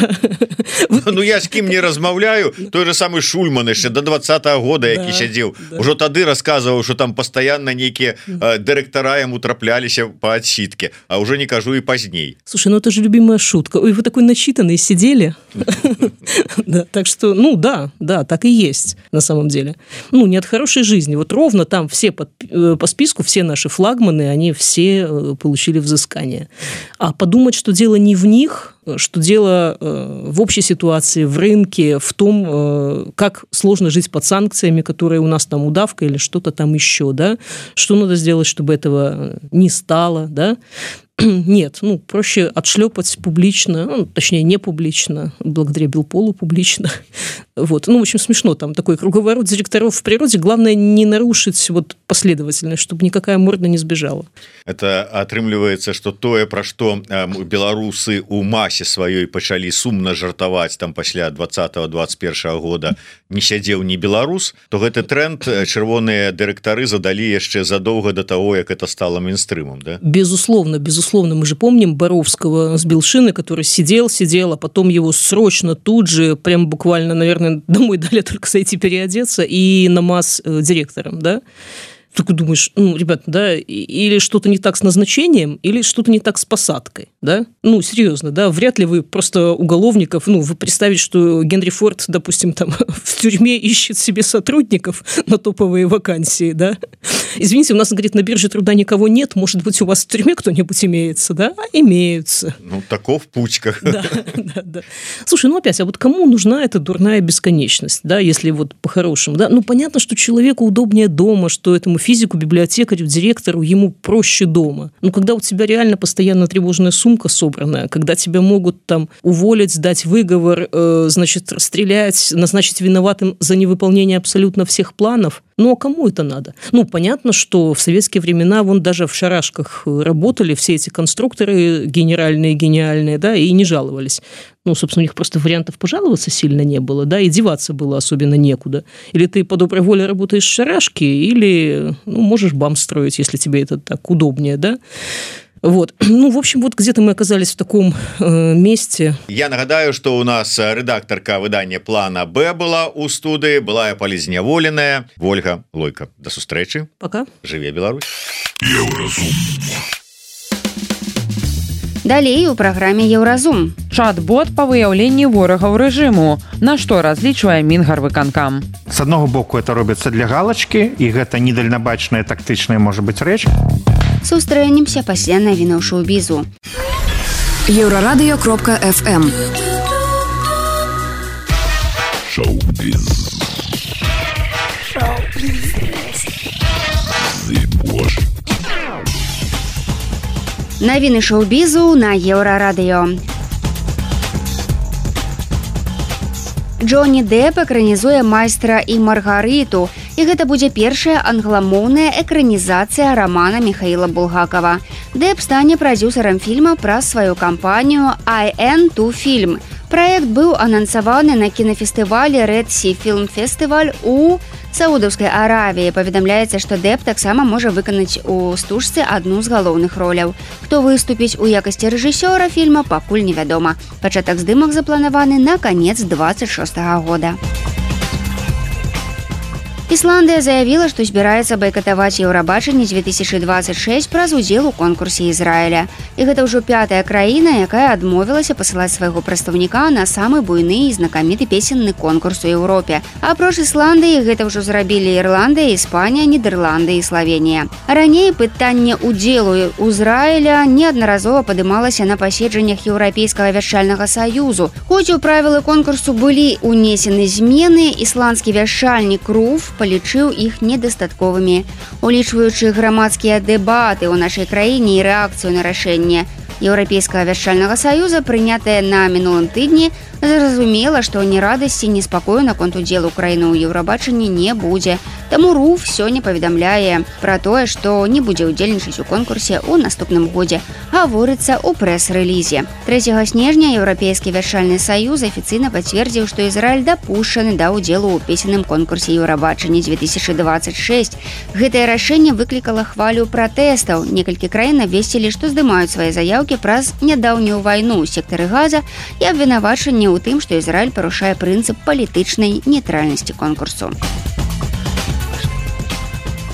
Speaker 7: Ну, я с кем не размаўляю, той же самый Шульман еще до двадцатого года, які да, сидел, да. Уже тады рассказывал, что там постоянно некие э, директора ему траплялись по отсидке, а уже не кажу и поздней.
Speaker 5: Слушай, ну это же любимая шутка. Ой, вы такой начитанный сидели. Так что, ну да, да, так и есть на самом деле. Ну, не от хорошей жизни. Вот ровно там все по списку, все наши флагманы, они все получили взыскание. А подумать, что дело не в них, что дело э, в общей ситуации, в рынке, в том, э, как сложно жить под санкциями, которые у нас там удавка или что-то там еще, да, что надо сделать, чтобы этого не стало, да. нет, ну, проще отшлепать публично, ну, точнее, не публично, благодаря Белполу публично. Вот. Ну, в общем, смешно, там такой круговорот директоров в природе. Главное не нарушить вот последовательность, чтобы никакая морда не сбежала.
Speaker 7: Это атрымліваецца, что тое, пра што беларусы у масе сваёй пачалі сумна жартаваць там пасля двадцатого двадцать первого года не сядзеў ні беларус, то гэты тренд чырвоныя дырэктары задалі яшчэ задоўга до того, як это стало мейнстрымом, да?
Speaker 5: Безусловно, безусловно. Мы же помним Боровского с Белшины, который сидел, сидел, а потом его срочно тут же, прям буквально, наверное, домой дали только зайти переодеться и на МАЗ директором, да? Только думаешь, ну, ребята, да, или что-то не так с назначением, или что-то не так с посадкой, да? Ну, серьезно, да, вряд ли вы просто уголовников, ну, вы представить, что Генри Форд, допустим, там в тюрьме ищет себе сотрудников на топовые вакансии, да? Извините, у нас, говорит, на бирже труда никого нет, может быть, у вас в тюрьме кто-нибудь имеется, да? А имеются.
Speaker 7: Ну, таков путька.
Speaker 5: Да, да, да. Слушай, ну, опять, а вот кому нужна эта дурная бесконечность, да, если вот по-хорошему, да? Ну, понятно, что человеку удобнее дома, что этому физику, библиотекарю, директору, ему проще дома. Но когда у тебя реально постоянно тревожная сумка собранная, когда тебя могут там уволить, сдать выговор, э, значит, расстрелять, назначить виноватым за невыполнение абсолютно всех планов, ну, а кому это надо? Ну, понятно, что в советские времена вон даже в шарашках работали все эти конструкторы генеральные, гениальные, да, и не жаловались. Ну, собственно, у них просто вариантов пожаловаться сильно не было, да, и деваться было особенно некуда. Или ты по доброй воле работаешь в шарашке, или, ну, можешь бам строить, если тебе это так удобнее, да. Вот. Ну, в общем, вот где-то мы оказались в таком э, месте.
Speaker 7: Я нагадаю, что у нас редакторка выдания «Плана Б» была у студии, была я полезняволеная. Ольга Лойка. До сустрэчы.
Speaker 5: Пока.
Speaker 7: Живе Беларусь.
Speaker 3: Далей у праграме «Еўразум».
Speaker 2: Чат-бот па выяўленні ворагаў рэжыму. На што разлічвае Мінгарвыканкам?
Speaker 6: С аднаго боку, это робіцца для галочки, і гэта недальнабачная тактычная, можа быць, рэч.
Speaker 3: Сустрэнемся пасля навінаў шоу-бізу.
Speaker 1: Еўрарадыё кропка эф эм.
Speaker 9: Шоу-біз. Шоу-біз.
Speaker 3: Навіны шоу-бізу на Еўрарадыё. Джонні Дэп экранізуе «Майстра і Маргарыту», і гэта будзе першая англамоўная экранізацыя рамана Міхаіла Булгакова. Дэп стане прадзюсарам фільма праз сваю кампанію «ай эн два Film». Праект быў анансаваны на кінафестывалі Red Sea Film Festival у Саудаўскай Аравіі. Паведамляецца, што Дэп таксама можа выканаць у стужцы адну з галоўных роляў. Хто выступіць у якасці рэжысёра фільма, пакуль невядома. Пачатак здымак запланаваны на канец двадцать шостага года. Ісландыя заявіла, што збіраецца байкатаваць Еўрабачанне две тысячи двадцать шесть праз удзел у конкурсе Ізраіля. І гэта ўжо пятая краіна, якая адмовілася пасылаць свайго прадстаўніка на самы буйны і знакаміты песенны конкурс у Еўропе. Апроч Ісландыі гэта ўжо зрабілі Ірландыя, Іспанія, Нідерланды і Славенія. Раней пытанне удзелу Ізраіля неаднаразова падымалася на паседжаннях Еўрапейскага вяшчальнага саюзу. Хоць у правілы конкурсу былі унесены змены, ісландскі вяшчальнік Руф палічыў іх недастатковымі. Улічваючы грамадскія дэбаты ў нашай краіне і рэакцыю на рашэнне Еўрапейскага вяшчальнага саюза, прынятае на мінулым тыдні, зразумела, што ні радасці, ні спакою наконт удзелу краіны ў Еўрабачанні не будзе. Таму Руф сёння паведамляе пра тое, што не будзе ўдзельнічаць у конкурсе ў наступным годзе, гаворыцца ў прэс-рэлізе. трэцяга снежня Еўрапейскі вяшчальны саюз афіцыйна пацвердзіў, што Ізраіль дапушчаны да ўдзелу ў песенным конкурсе Еўрабачання две тысячи двадцать шесть. Гэтае рашэнне выклікала хвалю пратэстаў. Некалькі краін абвесцілі, што здымаюць свае заяўкі праз нядаўнюю вайну ў сектары Газа і абвінавачанне ў тым, што Ізраіль парушае прынцып палітычнай нейтральнасці конкурсу.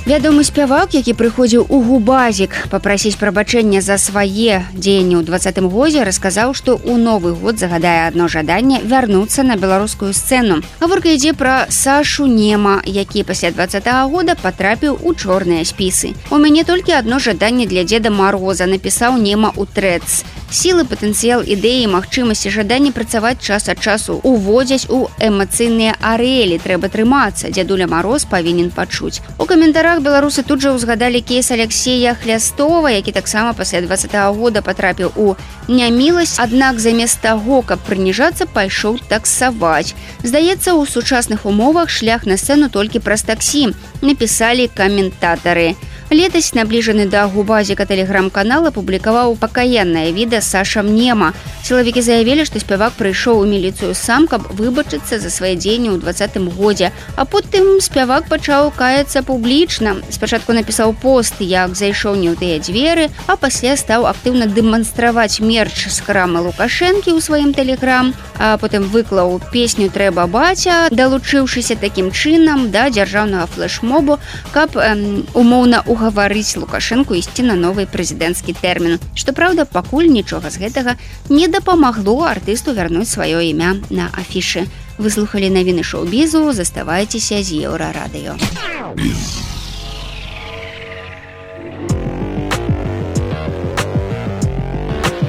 Speaker 3: Вядомы спявак, які прыходзіў у Губазік папрасіць прабачэння за свае дзеянні ў двадцатым годзе, расказаў, што ў новы год загадае адно жаданне вярнуцца на беларускую сцэну. Гаворка ідзе пра Сашу Нема, які пасля двадцатага года патрапіў у чорныя спісы. У мяне толькі адно жаданне для Дзеда Мароза, напісаў Нема ў трэц. Сілы, патэнцыял ідэі, магчымасці, жаданне працаваць час ад часу уводзяць у эмацыйныя арэлі. Трэба трымацца, дзядуля Мароз павінен пачуць. У каментарах беларусы тут жа ўзгадалі кейс Алексея Хлястова, які таксама пасля двадцатага года патрапіў у няміласць, аднак замест таго, каб прыніжацца, пайшоў таксаваць. Здаецца, у сучасных умовах шлях на сцэну толькі праз таксі, напісалі каментатары. Летась набліжаны да губазіка тэлеграм-канала публікаваў пакаяннае відэа Саша Мнема. Сілавікі заявілі, што спявак прыйшоў у міліцыю сам, каб выбачыцца за свае дзеянні ў двадцатым годзе. А потым спявак пачаў каяцца публічна. Спачатку напісаў пост, як зайшоў не ў тыя дзверы, а пасля стаў актыўна дэманстраваць мерч з крамы Лукашэнкі ў сваім тэлеграм, а потым выклаў песню «Трэба баця», далучыўшыся такім чынам да дзяржаўнага флэшмобу, каб эм, умоўна у гаварыць Лукашэнку ісці на новы прэзідэнцкі тэрмін. Што праўда, пакуль нічога з гэтага не дапамагло артысту вярнуць сваё імя на афішы. Вы слухалі навіны шоу-бізу, заставайцеся з Еўрарадыё.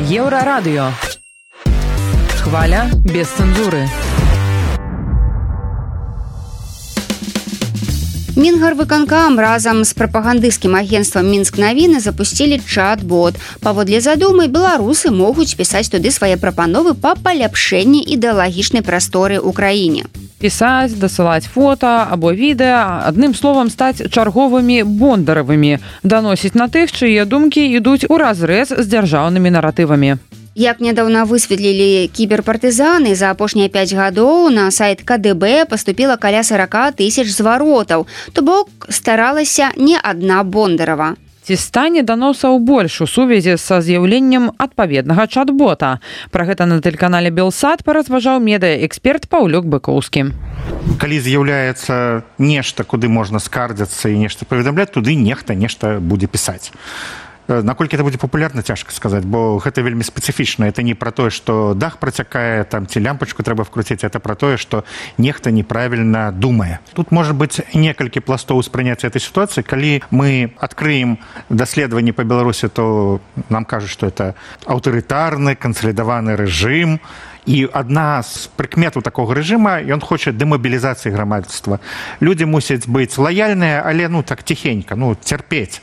Speaker 2: Еўрарадыё. Хваля без цэнзуры.
Speaker 3: Мінгарвыканкам разам з прапагандысцкім агенцтвам «Мінск-навіны» запусцілі чат-бот. Паводле задумы, беларусы могуць пісаць туды свае прапановы па паляпшэнні ідэалагічнай прасторы ў краіне.
Speaker 2: Пісаць, дасылаць фота або відэа, адным словам, стаць чарговымі бондаравымі, даносіць на тых, чые думкі ідуць у разрэз з дзяржаўнымі наратывамі.
Speaker 3: Як нядаўна высветлілі кіберпартызаны, за апошнія пяць гадоў на сайт ка дэ бэ паступіла каля сорок тысяч зваротаў, то бок старалася не адна Бондарова.
Speaker 2: Ці стане даносаў больш у сувязі са з'яўленнем адпаведнага чат-бота? Пра гэта на тэлеканале «Белсат» паразважаў медыаэксперт Паўлюк Быкоўскі.
Speaker 6: Калі з'яўляецца нешта, куды можна скардзяцца і нешта паведамляць, туды нехта нешта будзе пісаць. Наколькі это будзе папулярна, цяжка сказаць, бо гэта вельмі спецыфічна. Это не пра тое, што дах працякае, там ці лямпачку трэба вкруціць, это пра тое, што нехта неправільна думае. Тут можа быць некалькі пластоў успрыняцця этой сітуацыі. Калі мы адкрыем даследаванні па Беларусі, то нам кажуць, што это аўтарытарны, кансалідаваны рэжым. І адна з прыкметаў такога рэжыма, ён хоча дэмабілізацыі грамадства. Людзі мусяць быць лаяльныя, але ну так ціхенька, ну цярпець.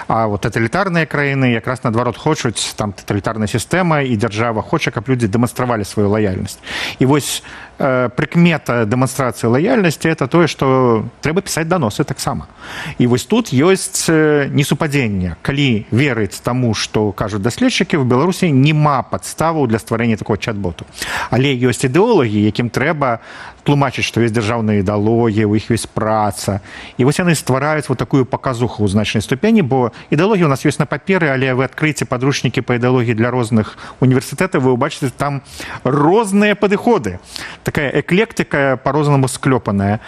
Speaker 6: А вот тоталітарныя краіны якраз наадварот хочуць, там тоталітарная сістэма і дзяржава хоча, каб людзі дэманстравалі сваю лаяльнасць. І вось э, прыкмета дэманстрацыі лаяльнасці это тое, што трэба пісаць даносы таксама. І вось тут ёсць э, несупадзенне. Калі верыць таму, што кажуць даследчыкі, в Беларусі няма падставаў для стварэння такого чат-боту. Але ёсць ідэолагі, якім трэба тлумачыць, што ёсць дзяржаўная ідэалогія, у іх ёсць праца. І вось яны ствараюць вот такую паказуху ў значнай ступені, бо ідэалогія у нас ёсць на паперы, але вы адкрыеце падручнікі па ідэалогіі для розных універсітэтаў, вы ўбачыце там розныя падыходы. Такая эклектыка па-рознаму склёпаная.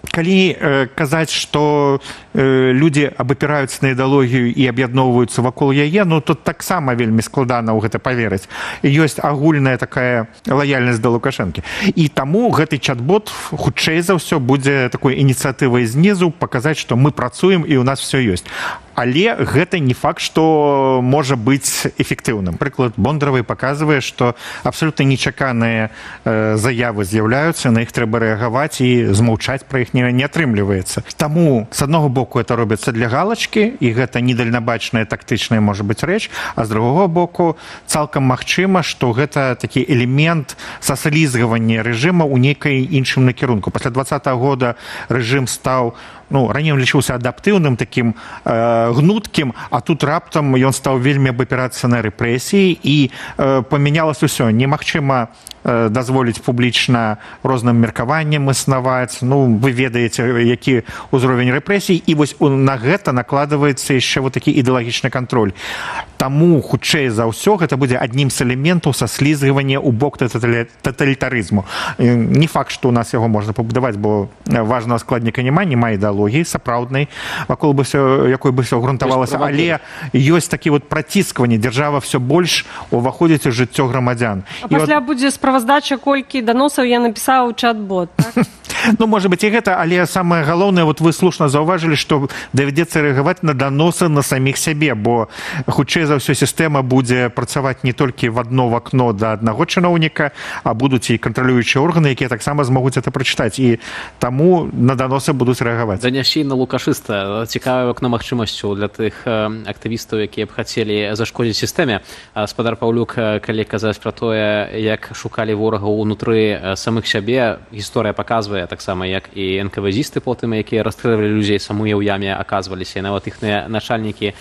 Speaker 6: Калі казаць, што людзі абапіраюцца на ідэалогію і аб'ядноўваюцца вакол яе, ну тут таксама вельмі складана ў гэта паверыць. Ёсць агульная такая лаяльнасць да Лукашэнкі. І таму гэты чат-бот хутчэй за ўсё будзе такой ініцыятывай знізу паказаць, што мы працуем і ў нас все ёсць. Але гэта не факт, што можа быць эфектыўным. Прыклад Бондаравай паказвае, што абсалютна нечаканыя э, заявы з'яўляюцца, на іх трэба рэагаваць і змаўчаць пра іх не, не атрымліваецца. Таму, з аднаго боку, это робіцца для галачкі, і гэта недальнабачная тактычная, можа быць, рэч, а з другога боку, цалкам магчыма, што гэта такі элемент саслізгавання рэжыма ў нейкай іншым накірунку. Пасля двадцатага года рэжым стаў, ну, раней ён лічыўся адаптыўным, такім э, гнуткім, а тут раптам ён стаў вельмі абапірацца на рэпрэсіі і э, памянялася ўсё. Немагчыма э, дазволіць публічна розным меркаванням існаваць. Ну, вы ведаеце, які ўзровень рэпрэсій, і вось на гэта накладваецца яшчэ вот такі ідэалагічны кантроль. Таму, хутчэй за ўсё, гэта будзе аднім з элементаў саслізгавання ў бок таталітарызму. Не факт, што ў нас яго можна пабудаваць, бо важнага складніка няма, няма ідэалогіі сапраўднай, вакол бы всё, якой бы всё грунтавалася, але ёсць такі вот праціскванне, дзяржава все больш уваходзіць у жыццё грамадзян.
Speaker 10: А пасля от... будзе справаздача, колькі даносаў я напісаў у чат-бот, так?
Speaker 6: Ну, может быть, и гэта, але самое галоўнае, вот вы слушна заўважылі, што давядзецца рэагаваць на даносы на саміх сябе, бо хутчэй за ўсё сістэма будзе працаваць не толькі в одно вакно да аднаго чыноўніка, а будуць і кантралюючыя органы, якія таксама змогуць это прачытаць, і таму на даносы будуць рэагаваць.
Speaker 10: Занясенне лукашыста цікавае акно магчымасцю для тых актывістаў, якія б хацелі зашкодзіць сістэме. Спадар Паўлюк, калі казаць пра тое, як шукалі ворагаў унутры самых сябе, гісторыя паказвае таксама, як і эн ка вэ зісты потым, якія расстрэльвалі людзей самыя ў яме, аказваліся, і нават іхныя начальнікі,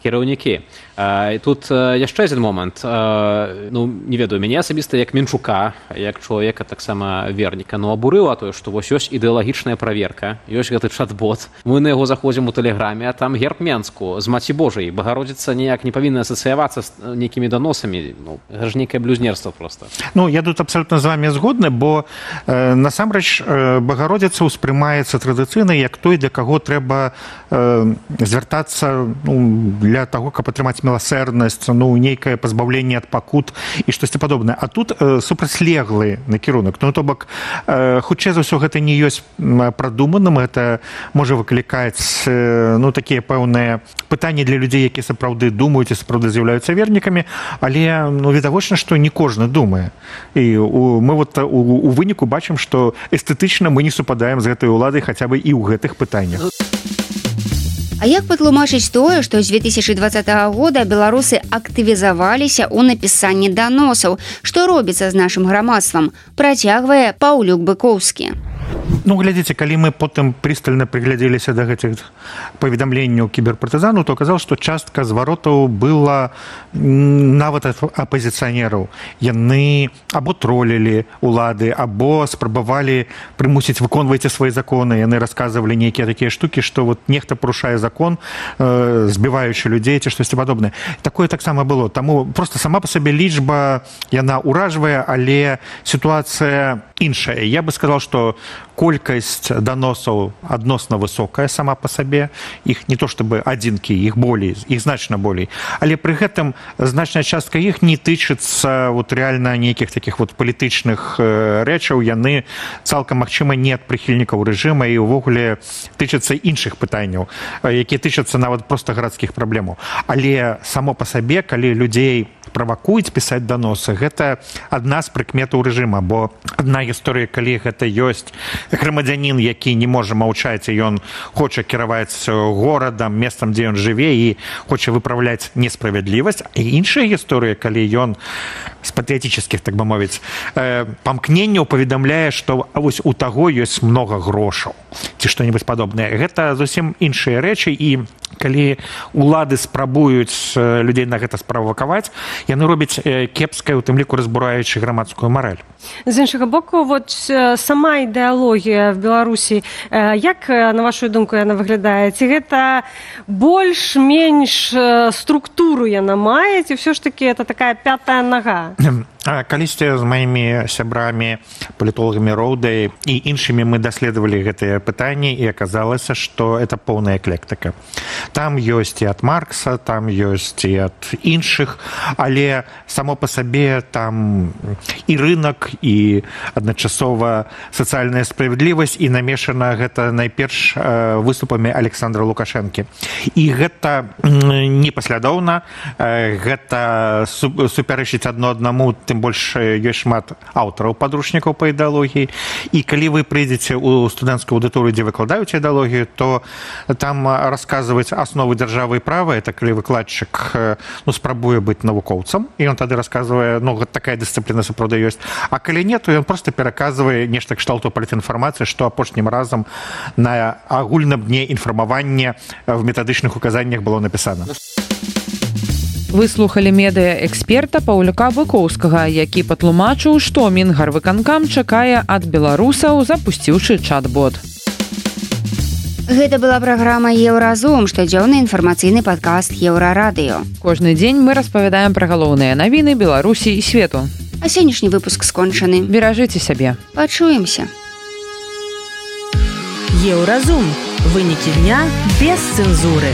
Speaker 10: кіраўнікі. І тут яшчэ адзін момант. Ну, не ведаю, мяне асабіста як Менчука, як чалавека таксама верніка, ну, абурыла тое, што вось ёсць ідэалагічная праверка, ёсць гэты чат-бот. Мы на яго заходзім у тэлеграме, а там герб Менску з Маці Божай. Багародзіца ніяк не павінна асацыявацца з нейкімі даносамі. Ну, гэта ж нейкае блюзнерства проста.
Speaker 6: Ну, я тут абсолютно з вами згодны, бо э, насамрэч э, Багародзіца ўспрымаецца традыцыйна як той, для каго трэба э, звяртацца, ну, для таго, каб атрымаць міласэрнасць, ну, нейкае пазбаўленне ад пакут і штосьці падобнае. А тут э, супрацьлеглы накірунак. Ну, то бок, э, хутчэй за ўсё гэта не ёсць прадуманым, гэта можа выклікаць э, ну, такія пэўныя пытанні для людзей, якія сапраўды думаюць і сапраўды з'яўляюцца вернікамі, але ну, відавочна, што не кожны думае. І у, мы вот у, у выніку бачым, што эстэтычна мы не супадаем з гэтай уладай хаця бы і ў гэтых пытаннях.
Speaker 3: А як патлумачыць тое, што з две тысячы двадцатага года беларусы актывізаваліся ў напісанні даносаў? Што робіцца з нашым грамадствам? Працягвае Паўлюк Быкоўскі.
Speaker 6: Ну, глядзіце, калі мы потым прыстальна прыглядзеліся да гэтых паведамленняў кіберпартызану, то аказалось, што частка зваротаў была нават апазіцыянераў. Яны або троллілі улады, або спрабавалі прымусіць выконвайце свае законы. Яны расказвалі нейкія такія штукі, што вот нехта парушае закон, э, збіваючы людзей ці штосьці падобнае. Такое таксама было. Таму проста сама па сабе лічба, яна ўражвае, але сітуацыя іншая. Я бы сказал, што колькасць даносаў адносна высокая сама па сабе. Іх не то чтобы адзінкі, іх болей, іх значна болей. Але пры гэтым значная частка іх не тычыцца вот реально нейкіх такіх вот палітычных рэчаў. Яны цалкам магчыма не ад прыхільнікаў рэжыма і ўвогуле тычацца іншых пытанняў, якія тычацца нават проста гарадскіх праблемаў. Але само па сабе, калі людзей правакуюць пісаць даносы, гэта адна з прыкметаў рэжыма, бо адна гісторыя, калі гэта ёсць грамадзянін, які не можа маўчаць, і ён хоча кіраваць горадам, месцам, дзе ён жыве, і хоча выпраўляць несправядлівасць. І іншая гісторыя, калі ён з патрыятычных, так бы мовіць, памкненняў паведамляе, што вось у таго ёсць многа грошаў ці што-небудзь падобнае. Гэта зусім іншыя рэчы, і калі улады спрабуюць людзей на гэта справакаваць, яны робяць кепскае, у тым ліку разбураючы грамадскую марэль.
Speaker 11: З іншага боку, вот сама ідэалогія в Беларусі, як, на вашу думку, яна выглядае? Ці гэта больш-менш структуру яна мае, ці ўсё ж таки это такая пятая нага?
Speaker 6: Калісьці з маімі сябрамі, палітолагамі Роўдай і іншымі мы даследавалі гэтыя пытанні, і аказалася, што это поўная эклектыка. Там ёсць і ад Маркса, там ёсць і ад іншых, але само па сабе там і рынок, і адначасова сацыяльная справядлівасць, і намешана гэта найперш выступамі Александра Лукашэнкі. І гэта непаслядоўна, гэта супярэчыць адно аднаму, тым больш ёсць шмат аўтараў падручнікаў па ідэалогіі. І калі вы прыйдзеце ў студэнцкую аўдыторыю, дзе выкладаюць ідэалогію, то там расказваюць асновы дзяржавы і права. Это калі выкладчык ну, спрабуе быць навукоўцам, і ён тады расказвае, ну, такая дысцыпліна сапраўды ёсць. А калі не, то ён проста пераказвае нешта кшталту палітінфармацыі, што апошнім разам на агульным дне інфармавання в метадычных указаннях было напісана.
Speaker 2: Вы слухали медыа-эксперта Паўлюка Быкоўскага, які патлумачыў, што Мінгарвыканкам чакае ад беларусаў, запусціўшы чат-бот.
Speaker 3: Гэта была праграма «Еўразум», штодзённы інфармацыйны падкаст Еўрарадыё.
Speaker 2: Кожны дзень мы распавядаем пра галоўныя навіны Беларусі і свету.
Speaker 3: А сённяшні выпуск скончаны.
Speaker 2: Беражыце сябе.
Speaker 3: Пачуемся.
Speaker 1: Еўразум. Вынікі дня без цэнзуры.